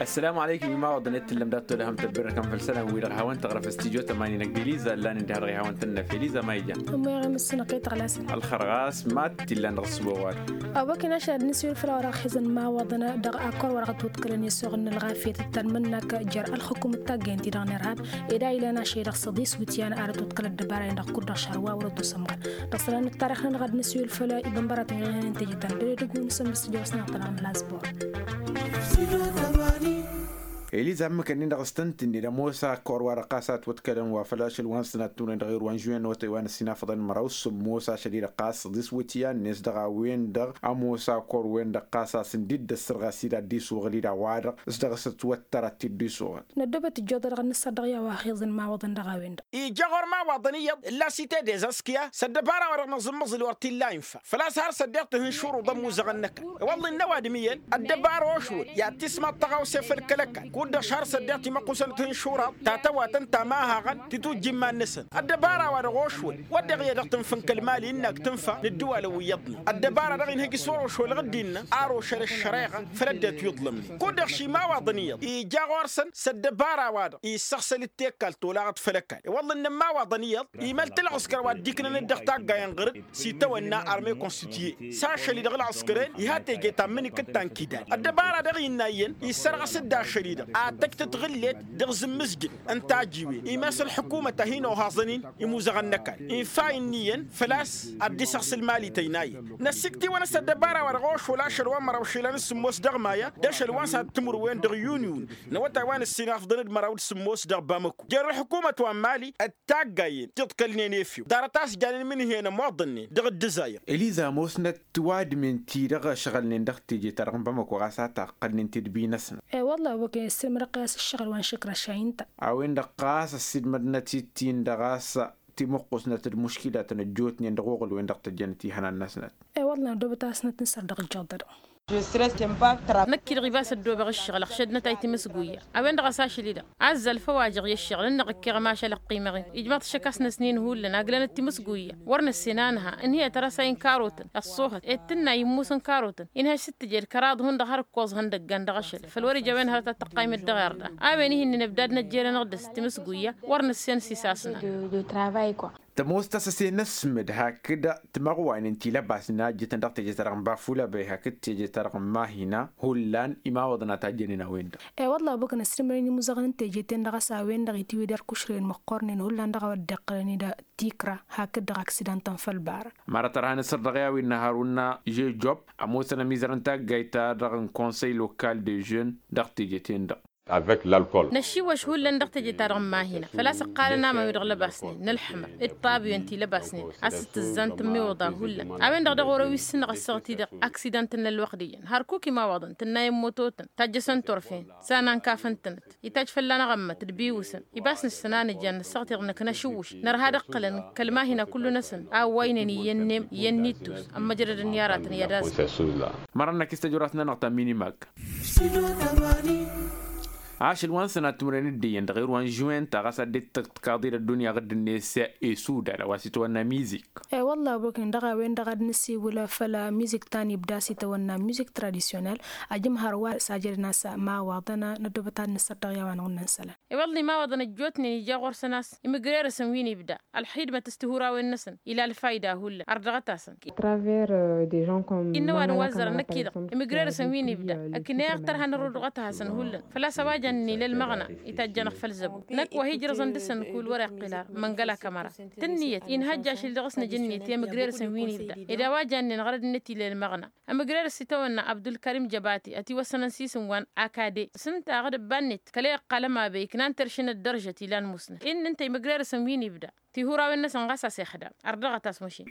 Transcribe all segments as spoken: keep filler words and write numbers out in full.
Ăssălamu aleykum imawăḍăn i-t-tǝllăm dat-tolăhăm tăbbirrăkăm făll-isălan-wi-dăɣ hawăn-tăɣrăf s-tijot ămani-năk d-eliza ăllan-in d-ehădăɣ i-hawăn-tănnăf eliza ma ija. Ămmoyăɣ i-mǝssǝnăɣ-t i-tăɣlasăn. Ălxărɣas ma-t t-illan dăɣ-s wăwad. Ăwwăken ašăl ad-nǝswǝl făll-a-wa dăɣ-xizăn imawăḍăn dăɣ-akor wa dăɣ-tǝwǝtkălăn i-asuɣ n-ălɣafyăt d-tanmǝnnak jer-ălxǝkum d-taggăyăn-ti-dăɣ n-irhab. Ed a ilan ašăl-i-dăɣ s-ăḍis wǝtyan ad-ătwǝtkăl ăddăbara-in-dăɣ kud-dăɣ šar wa wăr-ădduus ămɣan. Dăɣ-isălan n-ăttarix-nănăɣ ad-nǝswǝl făll-ibănbăratăn wi-dăɣ ihănen teje ta n-dăr-edăgg wi n-asǝmmǝs tijawăs-nănăɣ ta dăɣ-n lazbor. Eliza ǝmmǝk-ǝnnin-dăɣ s-tăn-tǝnned ămoos akor wa dăɣ-ɣas a ătwătkălăn wa făl ašăl wa n-sănat timǝrwen dăɣ-ewăr wa n-žuwen n-awătay wa n-ăssinafăḍăn măraw s-ămoos ašăl-i-dăɣ ɣas ăḍis wǝtyan-net dăɣ-a-wen-dăɣ ămoos akor-wen-dăɣ ɣas a-s ǝndid d-ăssărɣas-i d-ad-dd-isuɣǝl-i d-a-wa-dăɣ s-dăɣ-s ătwăttăr ad-t-dd-isuɣǝl. Năddobăt ǝjjoḍădăɣ ad-nǝssăr dăɣ-i a-wa ăxiẓăn imawăḍăn dăɣ-a-wen-dăɣ. Ija ɣur-imawaḍăn iyyăḍ ǝlla s-ite dezăskǝya s-ăddăbara-wa-dăɣ năẓǝmmăẓǝl wăr t-illa infa făl-a-s har s-ăddiɣ-tǝhǝnšuruḍ ămuzăɣăn-năkăn. Iwăḍ-i n-ăwadǝm iyyăn ăddăbara ošwăl i-ad-tismaḍ tăɣawse făll-kăl-ăkall kud-dăɣ šar s-ăddiɣ timăqqusăn tǝhǝnšuraḍ ta tăwatăn ta mahaɣăn titujja iman-năsăn. Ăddăbara-wa-dăɣ ošwăl wădden iyyăḍ dăɣ-tǝnfa n-kăl-mali ǝnnak tǝnfa n-ǝddǝwalăn wi iyyăḍnen ăddăbara-dăɣ inhǝj s-wăr-ošwălăɣ dd-innă ar ošăl ăššăreɣa făll-ăddinăt wi iḍlămnen. Kud-dăɣ šimawăḍăn iyyăḍ ija ɣur-săn s-ăddăbara-wa-dăɣ issăɣsăl d-tekkal tolaɣăt făll-ăkall iwăḍlăn n-ămmawaḍăn iyyăḍ imăl-t ălɣǝskăr wa dd-iknăn-dd dăɣ-taggayen ɣăr-dd s-itawănna arme konstituye s-ašăl-i-dăɣ ălɣǝskăren. Iha teje ta n-imǝnikǝd ta n-kidad ăddăbara-dăɣ innă iyyăn issărɣăs-dd ašăl-i-dăɣ ad-tăj tǝtɣǝllet dăɣ-izǝmmǝzjǝd n-tajiwen imes ălḥǝkumăt a hin-ohaẓăn-in imuzăɣăn n-ăkall infa innă iyyăn făl-a-s ad-dd-isăɣsǝl mali tăynayăn. Năssikt'-iwăn s-ăddăbara wa dăɣ-ošwăl ašăl wa n-măraw išilan s-sǝmmos dăɣ-maya d-ašăl wa n-sad-timǝrwen dăɣ-yuniyun n-awătay wa n-ǝssinafḍăn d-măraw d-sǝmmos dăɣ-bamăko jer-ălḥǝkumăt wa n-mali. D-taggayen tiḍkălnen efew ḍarăt a-s janen imǝnhǝyăn ămoḍănnen dăɣ-dd-ǝzayăr. Eliza ămoosnăt tiwadǝmen-ti-dăɣ ăšɣălnen dăɣ-teje-ta-dăɣ n-bamăko ɣas a taqqălnen tidbi-năsnăt. E-wălla a-wa kăy-ăssirmădăɣ-t i-a-s ǝššăɣǝl wa n-šǝkraš a inta. A-wen-dăɣ ɣas ăssiilmădnăt-dd-tin-dăɣ a-s timǝqqusnăt d-muškilatăn ăjjootnen dăɣ-oɣǝl-wen-dăɣ tăjjănăt ihănan-năsnăt. E-wălla năddobăt a-s năt-nǝsăr dăɣ-ǝjjăḍ-dăɣ. Năkk-i-dăɣ ibas ăddoobăɣ ǝššăɣǝl ăɣšădnăt a itǝmǝsguya. A-wen-dăɣ a-s ašăl-i-dăɣ azzal făw a jăɣ i-ǝššăɣǝl ǝnneɣ ǝkkeɣ ămašal ăqqiimăɣ-in ijmaḍ-t šăkasnăsnin hullan aglănăt timǝsguya. Wăr năssen a nǝha ǝnhǝyăt ărăsay n-karotăn ăṣṣoohăt ed tǝnna immus n-karotăn inhăš s-tǝjed kăraḍ hundăɣ har ǝkkoẓ ihăndăggan dăɣ-ašăl făl wăr ija a-wen hărăt ad-tăqqaymăt dăɣ-irda. A-wen ih'-ǝnnin ǝbdadnăt jer-anăɣ dăɣ-s timǝsguya. Wăr năssen s-isasna. Tămoos ta s-ăse n-ăssǝmǝd hakd timăɣwaynen ti lăbasnen a ǝjjǝtăn dăɣ-teje-ta-dăɣ n-bafulăbăy hakd teje-ta-dăɣ n-mahina hullan imawăḍăn a tajjănen a-wen-dăɣ. E-wălla a-wa băkăn ăsrǝmănen imuzăɣăn n-teje-ten-dăɣ a-s a-wen-dăɣ itiwǝy d-ărkušrăyăn măqqornen hullan dăɣ-a-wa dd-iqqălăn-dd tikra hakd dăɣ-aksidantăn făll-bara. Mărăt ărhan isăr dăɣ-i a-wen n-haruna žežob ămoosăn ămizăr n-taggayt-ta-dăɣ n-konsăy lokal de žen dăɣ-teje-ten-dăɣ. Năššiwăš hullan dăɣ-teje-ta-dăɣ n-mahina făl-a-s ǝqqalăn aman wi-dăɣ lăbasnen n-ălḥǝmăr d-tabǝyăn ti lăbasnen a-s t-tǝzzant n-imiwǝḍa hullan. A-wen-dăɣ dăɣ-wăr-ăwissǝnăɣ ăssaɣăt-i-dăɣ aksidan-tăn n-ălwăqq d-iyyăn hărkuk imawăḍăn tǝnnayăn mototăn tajjăsăn turfen s-a n-ankafăn-tănăt. Ităjj fălla-năɣ ămmăt d-biwǝsăn ibas nǝssăn a nǝjjan nǝssăɣ-t-dăɣ năkk năšǝwwǝš nărha d-ǝqqǝlăn kăl-mahina kullu-năsăn a ăwwaynen iyyăn n-em iyyăn n-ittus ămmăjrădăn i-aratăn i-ad-azǝm. Mărăn-năk i-s tăjorăt-nănăɣ ta n-minimak. Ašăl wa n-sănat timǝrwen d-iyyăn dăɣ-irwan žuwen ta ɣas ad-dd-tăkkaḍ-dd ăddunya ɣǝdd-net s-isudal a-wa s-itwănna mizik. E-wălla a-wa băknen dăɣ-a-wen-dăɣ ad-nǝsiwǝl făll-mizik ta n-ibda s-itwănna mizik tradisyonal. Ajǝmhăr wa s-ajădăn a-s imawaḍăn năddobăt ad-nǝssăr dăɣ-i a-wa n-ɣǝnnăn isălan. E-wălla imawaḍăn ăjjootnen ija ɣur-săn a-s imǝgrerăsăn wi n-ibda ălxidmăt s-tihurawen-năsăn ila ălfayda hullan ărdăɣăt-asăn. Innă ăwadǝm wa ăzzărăn năkk-i-dăɣ imǝgrerăsăn wi n-ibda ăkneɣ tărha n-ărrudăɣăt-hasăn hullan făl-a-s a-wa jannen ila ălmăɣna itajj'-anăɣ făll-zăbo. Năkk wa hi-ijrăẓăn dăɣ-săn kul wăr-iqqǝl ar măngăl akămăra tǝnniyăt inhăjj ašǝl dăɣ-s nǝjǝnniyăt i-imǝgrerăsăn wi n-ibda ed a-wa jannen ɣărăd-net ila ălmăɣna. Ămǝgrerăs itawănna abdulkarim jăbati ătiwăssănăn s-isǝm wa n-akade s-ǝnta aɣǝd ǝbba-net kăla iqqal ămabey iknan teršǝn ăddărjăt ilan musnăt. Innă ǝnta imǝgrerăsăn wi n-ibda tihurawen-năsăn ɣas a-s ixdam ărdăɣăt-as măšin.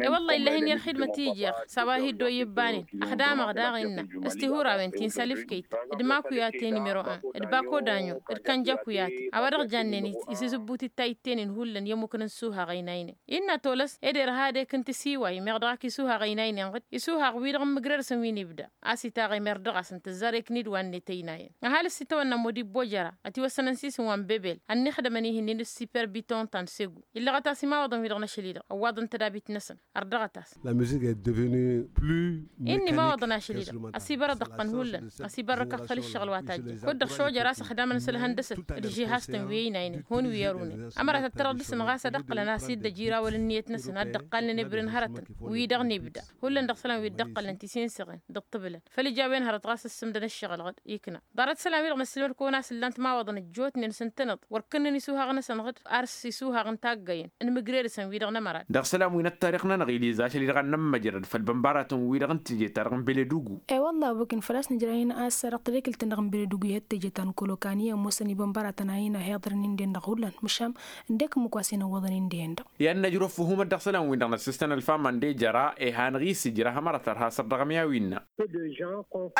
E-wălla illahi-nni ălxidmăt i-jeɣ s-a-wa hi-dd-oyyǝbbanen ăxdamăɣ daɣ innă s-tihurawen ti n-salifkeyt d-makuyate nimero-en d-bakodanyo d-kănjakuyate a-wa dăɣ-jannen isǝzǝbbut d-tayǝtte-nin hullan i-ămmukăn n-isuhaɣ ăynaynen. Innă tolăs ed irha ad-ekǝn tisiway meɣ dăɣ-ak isuhaɣ ăynaynen ɣǝd isuhaɣ-wi-dăɣ n-imǝgrerăsăn wi n-ibda a-s itaɣ i-mer dăɣ-asăn tǝzzar ekǝn-dd wa n-net ăynayăn. Ăhalǝs itawănna modibbo jăra ătiwăssănăn s-isǝm wa n-bebel ănnixdămăn ihǝnnin. Siperbiton ta n-segu illăɣăt-as imawăḍăn-wi-dăɣ n-ašăl-i-dăɣ ăwwaḍăn tădabit-năsăn. Ărdăɣăt-as. La musique est devenue plus inni imawăḍăn ašăl-i-dăɣ ăsibărăd ăqqăn hullan. Ăsibărăkăɣ făll-ǝššăɣǝl wa tajjăn kud-dăɣ šojăr a-s ăxdamăn s-ălhăndăsăt d-žihastăn wi ăynaynen hun wi ărunăn. Ămăra tăttărăḍ dăɣ-săn ɣas ad-ăqqǝlăn a-s idd ăjiraw ălǝnniyăt-năsăn ad-dd-ăqqalnen ebren hărătăn wi-dăɣ n-ibda hullan dăɣ-isălan wi dd-ăqqălnen tisinsiɣen d-ǝṭṭǝbǝlăn. Făll-ijawen hărăt ɣas ǝssǝmdăn ǝššăɣǝl-dăɣ ikna ḍarăt isălan-wi-dăɣ năssilmăd-kăwăn a-s ǝllan timawaḍăn ăjjootnen s-ǝntăneḍ wăr kǝnnăn isuhaɣ-năsăn ɣǝd ar s-isuhaɣ n-taggăyăn n-imǝgre dăɣ-săn wi-dăɣ n-ămăra. Dăɣ-isălan wi n-ăttarix-nănăɣ iliza ašăl-i-dăɣ ad-nămmăjrăd făll-bănbaratăn-wi-dăɣ n-teje-ta-dăɣ n-beledugu. E-wălla a-wa ăkǝn făl-a-s nǝjrăyăn a-s dăɣ-tadekǝlt-dăɣ n-beledugu i-hăt teje ta n-kolokani ămoosăn ibănbaratăn a hin-ăhiḍărăn inden-dăɣ hullan măšan ǝndek ǝmmǝk wa s-hin-ăwwăḍăn inden-dăɣ. I-ad-năjrăw ăffuhumăt dăɣ-isălan-win-dăɣ n-ăssistăn ălfama ǝnde jăra ihanăɣ-i s-ijrăh ămăra tărha săr dăɣ-ămyawi-năɣ.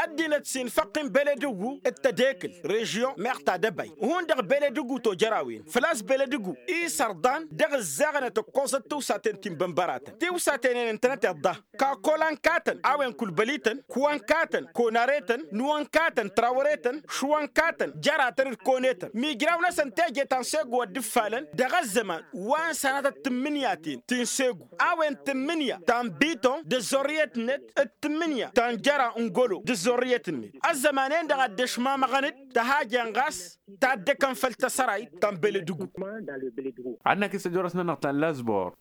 Ăddinăt s-infăqqin beledugu d-tadekǝlt režion meɣ ta dăbay. Hundăɣ beledugu tojăr a-wen făl-a-s beledugu isărḍan dăɣ-ǝzzaɣănăt ǝkkoẓăt tiwsaten ti n-bănbăratăn tiwsaten-en ǝntănăt iḍḍa. Kakola n-katăn a-wen kulbălităn kuwa n-katăn konare-tăn nuwăn katăn trawăre-tăn šuwăn katăn jăratăn d-kone-tăn mijraw-năsăn teje ta n-segu ăddǝffalăn dăɣ-ăzzăman wa n-sănatăt tǝmmǝnyaten ti n-segu a-wen tǝmmǝnǝya ta n-biton d-ăzzorriyăt-net d-tǝmmǝnǝya ta n-jăra n-golo d-ăzzorriyăt-net. Ăzzăman-en-dăɣ a dd-ăšmamăɣăn-dd tăhajen ɣas taddăkăn făll-tăsărayt ta n-beledugu. Ad-năkk s-ăjorăs-nănăɣ ta n-lazbor.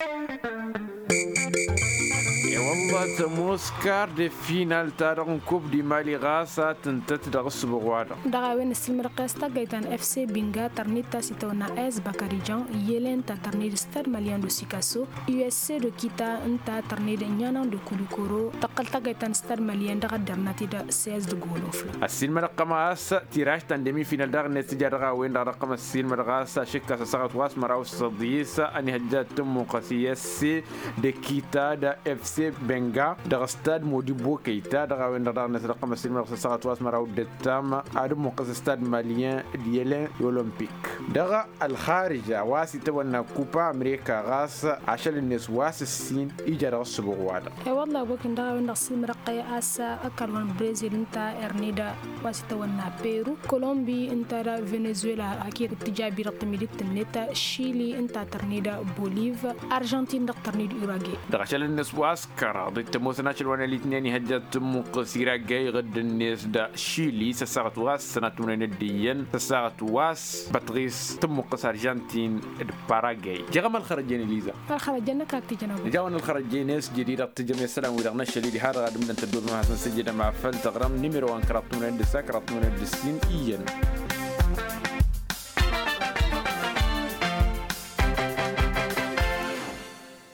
E-wălla tămoos kar de final-ta-dăɣ n-kub di mali ɣas a tǝntăt dăɣ-ǝssǝbuɣ-wa-dăɣ. Dăɣ-a-wen ăssiilmădăɣ-t i-a-s taggayt ta n-fc binga tărned ta s-itawănna s bakarijan i-elen ta tărned stad malian d-osikaso usc d-okita ǝnta tărned ǝnyanăɣ d-okulikoro tăqqăl taggayt ta n-stad malian dăɣ-ăddărnat-dd s-s d-gulufla. Ăssiilmădăɣ-tăm a-s tiraž ta n-demi final daɣ-net tǝja dăɣ-a-wen-dăɣ dăɣ-tăm ăssiilmădăɣ a-s ašǝkkas ăssaɣăt wa s-măraw s-ăḍis ănihăjja d-tǝmmuqqăs i-esse d-ekita d-efse benga dăɣ-stad modibo kăyta dăɣ-a-wen-dăɣ daɣ-net dăɣ-tăm ăssiilmădăɣ s-ăssaɣăt wa s-măraw d-ǝttam ad-ǝmmuqqăs stad malyen d-yălen i-olămpik. Dăɣ-ălxarǝja wa s-itawănna kupa amerika ɣas ašăl-net wa s-ǝssin ija dăɣ-ǝssǝbuɣ-wa-dăɣ. E-wălla a-wa ăkǝn dăɣ-a-wen-dăɣ ăssiilmădăɣ-t i-a-s ăkall wa n-brezil ǝnta ărned wa s-itawănna peru kolombi ǝnta d-venezuela hakd tǝjja abirăɣ tǝmidit-net šili ǝnta tărned boliv arjantin dăɣ-tărned urage. Dăɣ-ašăl-net wa s-kăraḍ d-tămoosăn ašăl wa n-elitnen ihăjja d-tǝmmuqqǝs irage iɣǝdd-net d-šili s-ăssaɣăt wa s-sănat tǝmǝnăynet d-iyyăn s-ăssaɣăt wa s-bătɣis tǝmmuqqǝs arjantin d-paragay. Jăɣăm ălxărăjjen iliza. Ălxărăjjen năkk ak tijănăɣ. Nǝja-wăn ălxărăjjen-net jădid ad-tǝjjăm i-isălan-wi-dăɣ n-ašăl-i diha-dăɣ ad-ǝmdăn tăddoobem ad-hasăn-sǝjjǝdăm afăl tăɣrăm nimiro wa n-kăraḍ tǝmǝnăynet d-ǝssa kăraḍ tǝmǝnăynet d-ǝssin iyyăn.